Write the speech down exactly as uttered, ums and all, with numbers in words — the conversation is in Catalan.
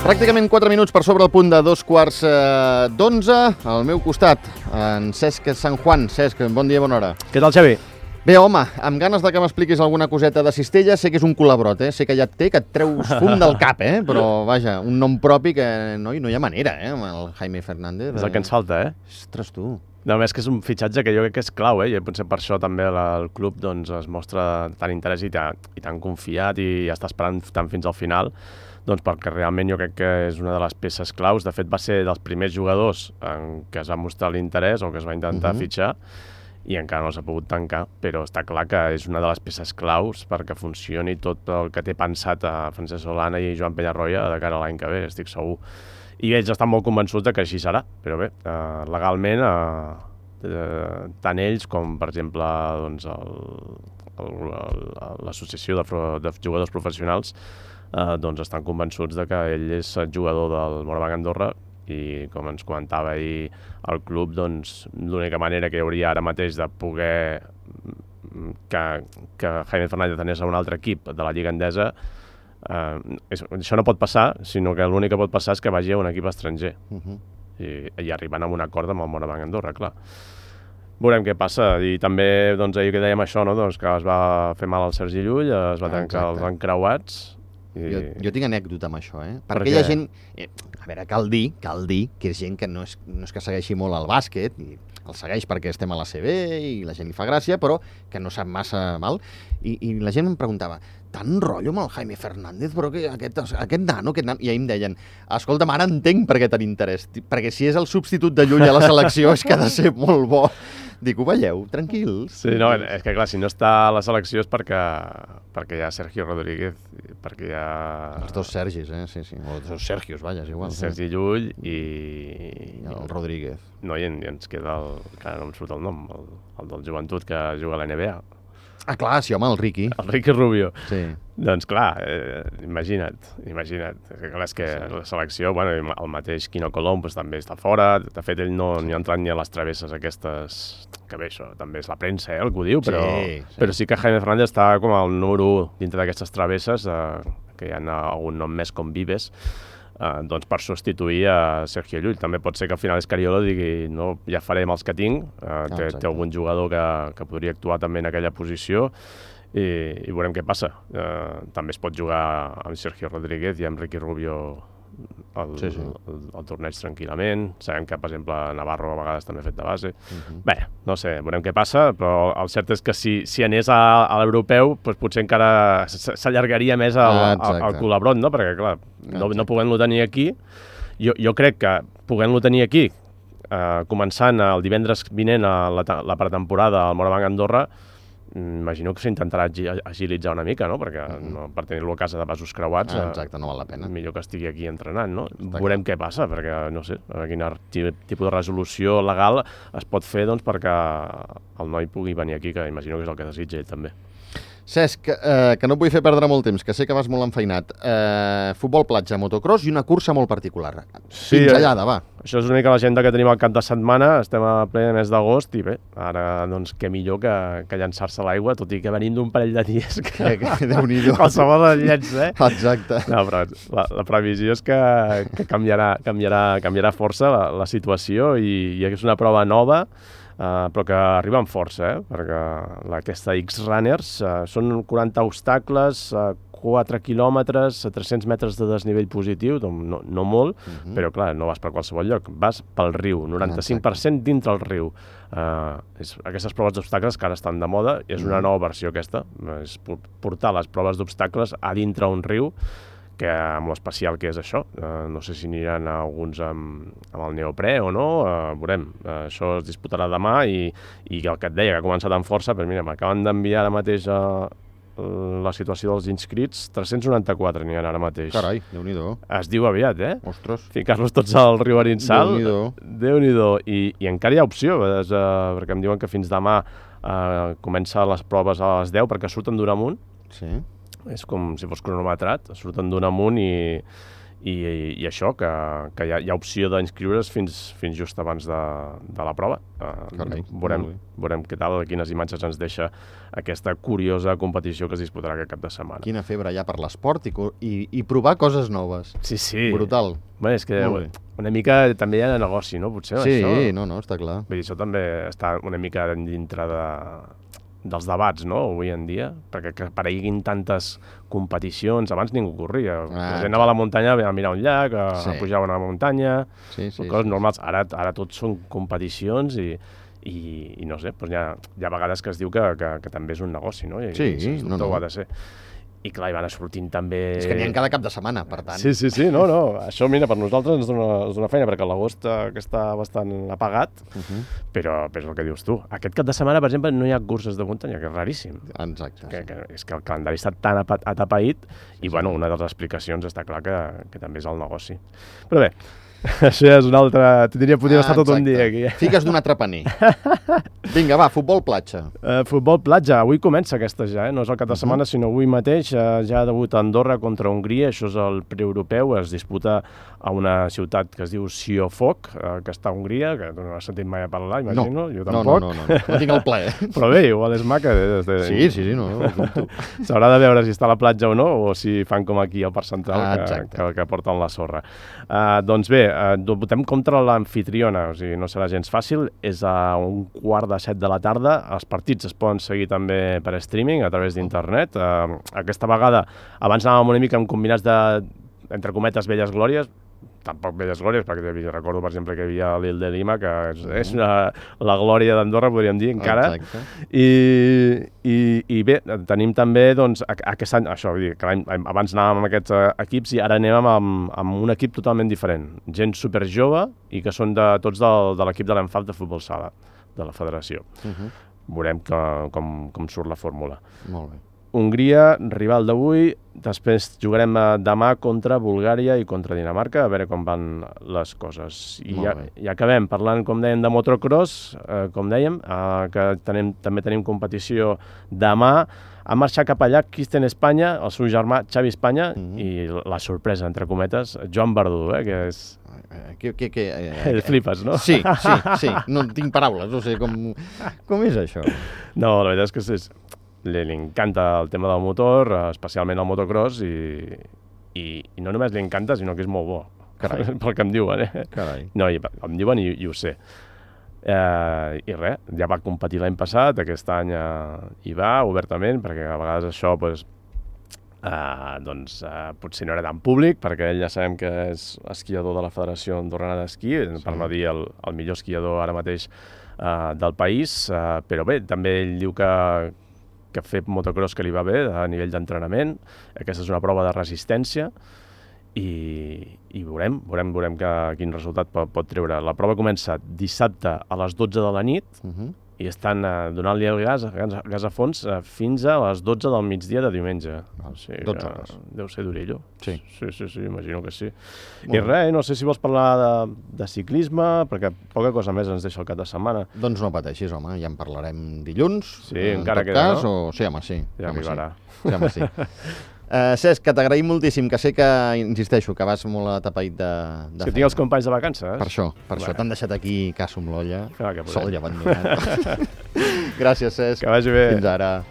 Pràcticament quatre minuts per sobre el punt de dos quarts eh, d'onze. Al meu costat, en Cesc San Juan. Cesc, bon dia, bona hora. Què tal, Xavi? Bé, home, amb ganes de que m'expliquis alguna coseta de Cistella. Sé que és un col·labrot, eh? Sé que ja et té, que et treus fum del cap, eh? Però, vaja, un nom propi que no, no hi ha manera, eh? Amb el Jaime Fernández. És el que ens falta, eh? Ostres, tu. No, més que és un fitxatge que jo crec que és clau, eh? I potser per això també el club doncs, es mostra tan interès i tan, i tan confiat i està esperant tant fins al final, doncs perquè realment jo crec que és una de les peces claus. De fet, va ser dels primers jugadors en què es va mostrar l'interès o que es va intentar uh-huh. fitxar i encara no s'ha pogut tancar, però està clar que és una de les peces claus perquè funcioni tot el que té pensat a Francesc Solana i Joan Penyarroia de cara a l'any que ve, estic segur. I ells estan molt convençuts de que així serà, però bé, eh, legalment, eh, eh, tant ells com, per exemple, doncs, l'associació de, de jugadors professionals eh, doncs estan convençuts de que ell és jugador del Moraván Andorra i, com ens comentava ahir el club, doncs, l'única manera que hi hauria ara mateix de poder que, que Jaime Fernández anés a un altre equip de la Lliga Endesa, Uh, és, això no pot passar, sinó que l'únic que pot passar és que vagi a un equip estranger uh-huh. I, i arribant a un acord amb el Moraván Andorra, clar. Veurem què passa, i també doncs, ahir que dèiem això, no? Doncs, que es va fer mal al Sergi Llull, es va ah, tancar exacte. Els encreuats. I... Jo, jo tinc anècdota amb això, eh? Perquè per hi ha gent... Eh, a veure, cal dir, cal dir que és gent que no és, no és que segueixi molt el bàsquet, i el segueix perquè estem a la C B i la gent li fa gràcia, però que no sap massa mal. I, i la gent em preguntava, tant rotllo amb el Jaime Fernández, però que aquest, aquest nano, aquest nano... I ahir em deien, escolta'm, ara entenc per què ten interès, perquè si és el substitut de Llull a la selecció és que ha de ser molt bo. Dic, ho veieu, tranquils. Sí, no, és que clar, si no està a la selecció és perquè, perquè hi ha Sergio Rodríguez, perquè hi ha... Els dos Sergis, eh? Sí, sí, o els dos Sergios, vaja, és igual. Sergi Llull i... I el Rodríguez. No, i ens queda el... que no em surt el nom, el, el del joventut que juga a la N B A. Ah, clar, sí, home, el Ricky. El Ricky Rubio. Sí. Doncs clar, eh, imagina't, imagina't. Clar, és que sí. La selecció, bueno, el mateix Quino Colom pues, també està fora. De fet, ell no, sí. ni ha entrat ni a les travesses aquestes... Que bé, això també és la premsa, eh, el que ho diu, però sí, sí. però sí que Jaime Fernández està com el número u dintre d'aquestes travesses, eh, que hi ha algun nom més com Vives, eh, doncs per substituir a Sergio Llull. També pot ser que al final Escariolo digui no, ja farem els que tinc, eh, té, ah, té algun jugador que, que podria actuar també en aquella posició i, i veurem què passa. Eh, també es pot jugar amb Sergio Rodríguez i amb Ricky Rubio el, sí, sí. el, el torneig tranquil·lament. Sabem que, per exemple, Navarro a vegades també ha fet de base. Uh-huh. Bé, no sé, veurem què passa, però el cert és que si, si anés a, a l'europeu, doncs potser encara s'allargaria més el, ah, el, el col·labrot, no? Perquè, clar, no, no podent-lo tenir aquí, jo, jo crec que podent-lo tenir aquí, eh, començant el divendres vinent a la, la pretemporada al Moraván Andorra, imagino que s'intentarà agilitzar una mica, no? Perquè uh-huh. no, per tenir-lo a casa de vasos creuats, ah, exacte, no val la pena. Millor que estigui aquí entrenant, no? Està Veurem clar. Què passa, perquè no sé, quin tipus de resolució legal es pot fer doncs, perquè el noi pugui venir aquí, que imagino que és el que desitja ell també. Cesc, eh, que no et vull fer perdre molt temps, que sé que vas molt enfeinat. Eh, futbol platja, motocross i una cursa molt particular. Sí, pinzellada, va. Això és l'única agenda que tenim al cap de setmana, estem a ple mes d'agost i bé, ara doncs què millor que, que llançar-se a l'aigua, tot i que venim d'un parell de dies que... que Déu-n'hi-do. Qualsevol de llenç, eh? Exacte. No, però la, la previsió és que, que canviarà, canviarà, canviarà força la, la situació i, i és una prova nova, Uh, però que arriba amb força, eh? Perquè la, aquesta X-Runners uh, són quaranta obstacles, uh, quatre quilòmetres, a tres-cents metres de desnivell positiu, no, no molt, uh-huh. però clar, no vas per qualsevol lloc, vas pel riu, noranta-cinc per cent dintre el riu. Uh, és, aquestes proves d'obstacles que ara estan de moda, i és una nova versió aquesta, és portar les proves d'obstacles a dintre un riu, que amb l'especial que és això, uh, no sé si aniran alguns amb, amb el neoprè o no, uh, veurem, uh, això es disputarà demà i, i el que et deia, que ha començat amb força, però mira, m'acaben d'enviar ara mateix a la situació dels inscrits, tres-cents noranta-quatre n'hi ha ara mateix. Carai, Déu-n'hi-do. Es diu aviat, eh? Ostres. Ficar-los tots al riu Arinsal. Déu-n'hi-do. Déu-n'hi-do. I, I encara hi ha opció, és, uh, perquè em diuen que fins demà uh, comença les proves a les deu, perquè surten d'un amunt. Sí. És com si fos cronometrat, surten d'un amunt i, i, i això, que, que hi ha, hi ha opció d'inscriure's fins, fins just abans de, de la prova. Uh, Carai, veurem, molt bé. veurem què tal, quines imatges ens deixa aquesta curiosa competició que es disputarà aquest cap de setmana. Quina febre hi ha per l'esport i, co- i, i provar coses noves. Sí, sí. Brutal. Bé, és que Molt bé. una mica també hi ha negoci, no? Potser, Sí, això. no, no, està clar. Vull dir, això també està una mica dintre de, dels debats, no?, avui en dia, perquè que apareguin tantes competicions, abans ningú corria. Ah, la gent anava a la muntanya a mirar un llac, a, Sí. a pujar a una muntanya, Sí, sí, coses sí, normals. Ara, ara tot són competicions i, i, i no sé, doncs hi, ha, hi ha vegades que es diu que, que, que també és un negoci, no? I, Sí, i, sens no, dubte no. ho ha de ser. I clar, hi van sortint també... És que n'hi ha cada cap de setmana, per tant. Sí, sí, sí, no, no. Això, mira, per nosaltres ens dona, ens dona feina, perquè l'agost eh, que està bastant apagat, Uh -huh. però, però és el que dius tu. Aquest cap de setmana, per exemple, no hi ha curses de muntanya, que és raríssim. Exacte. Que, Sí. que, és que el calendari està tan apa- atapeït i, bueno, una de les explicacions està clar que, que també és el negoci. Però bé, això ja és una altra... Tindria, podríem estar tot un dia aquí. Figues d'un altre paner. Vinga, va, futbol platja. Uh, futbol platja, avui comença aquesta ja, eh? No és el cap de setmana, uh -huh. sinó avui mateix. Uh, ja ha debut Andorra contra Hongria, això és el preeuropeu, es disputa a una ciutat que es diu Siófok, uh, que està a Hongria, que tu no has sentit mai a parlar, imagino, no. jo No, tampoc. no, no, no, no tinc el plaer. Però bé, igual és maca. De, de... Sí, sí, sí, no, no, no. S'haurà de veure si està a la platja o no, o si fan com aquí al Parc Central, Ah, que, exacte. que, que porten la sorra. Uh, doncs bé, uh, votem contra l'amfitriona, o sigui, no serà gens fàcil, és a un quart de set de la tarda, els partits es poden seguir també per streaming, a través d'internet. Uh, aquesta vegada, abans anàvem una mica amb combinats de, entre cometes, velles glòries, tampoc velles glòries, perquè hi havia- recordo, per exemple, que hi havia l'Il de Lima, que és, és una, la glòria d'Andorra, podríem dir, encara. Exacte. I, i, i bé, tenim també, doncs, a- aquest any, això, vull dir, que l'any, abans anàvem amb aquests eh, equips i ara anem amb, amb un equip totalment diferent. Gent super jove i que són de, tots del, de l'equip de l'Enfap de futbol sala, de la federació. Uh -huh. Veurem que, com, com surt la fórmula. Molt bé. Hongria, rival d'avui, després jugarem eh, demà contra Bulgària i contra Dinamarca, a veure com van les coses. I Molt ja, bé. i acabem parlant, com dèiem, de motocross, eh, com dèiem, eh, que tenim, també tenim competició demà. Ha marxat cap allà Kristen Espanya, el seu germà Xavi Espanya, Mhm. i la sorpresa, entre cometes, Joan Verdú, eh, que és... Eh, Que, que, que, eh, El flipes, no? Sí, sí, sí. No tinc paraules, no sé com, com és això. No, la veritat és que és, li, li encanta el tema del motor, eh, especialment el motocross, i, i, i no només li encanta, sinó que és molt bo. Carai. Pel que em diuen, eh? Carai. No, i, em diuen i, i ho sé. Eh, I res, ja va competir l'any passat, aquest any eh, hi va obertament, perquè a vegades això pues, eh, doncs, eh, potser no era tan públic, perquè ell ja sabem que és esquiador de la Federació Andorrana d'Esquí, sí. per no dir el, el millor esquiador ara mateix eh, del país, eh, però bé, també ell diu que que fer motocross que li va bé a nivell d'entrenament. Aquesta és una prova de resistència i, i veurem, veurem, veurem que, quin resultat pot, pot treure. La prova comença dissabte a les dotze de la nit Uh -huh. i estan eh, donant-li el gas, gas, gas a fons eh, fins a les dotze del migdia de diumenge. Val, O sigui dotze que hores. deu ser durillo. Sí. Sí, sí, sí, imagino que sí. Molt I bé. res, no sé si vols parlar de, de ciclisme, perquè poca cosa més ens deixa el cap de setmana. Doncs no pateixis, home, ja en parlarem dilluns. Sí, en encara tot queda, cas, no? O... Sí, home, sí. Ja home, arribarà. Sí, sí, home, sí. Uh, Cesc, que t'agraïm moltíssim, que sé que, insisteixo, que vas molt atapeït de, de És que tinc els companys de vacances. Per això, per Bé. això t'han deixat aquí caso amb l'olla, Ah, que podem. sol i abandonat. Gràcies, Cesc. Que vagi bé. Fins ara.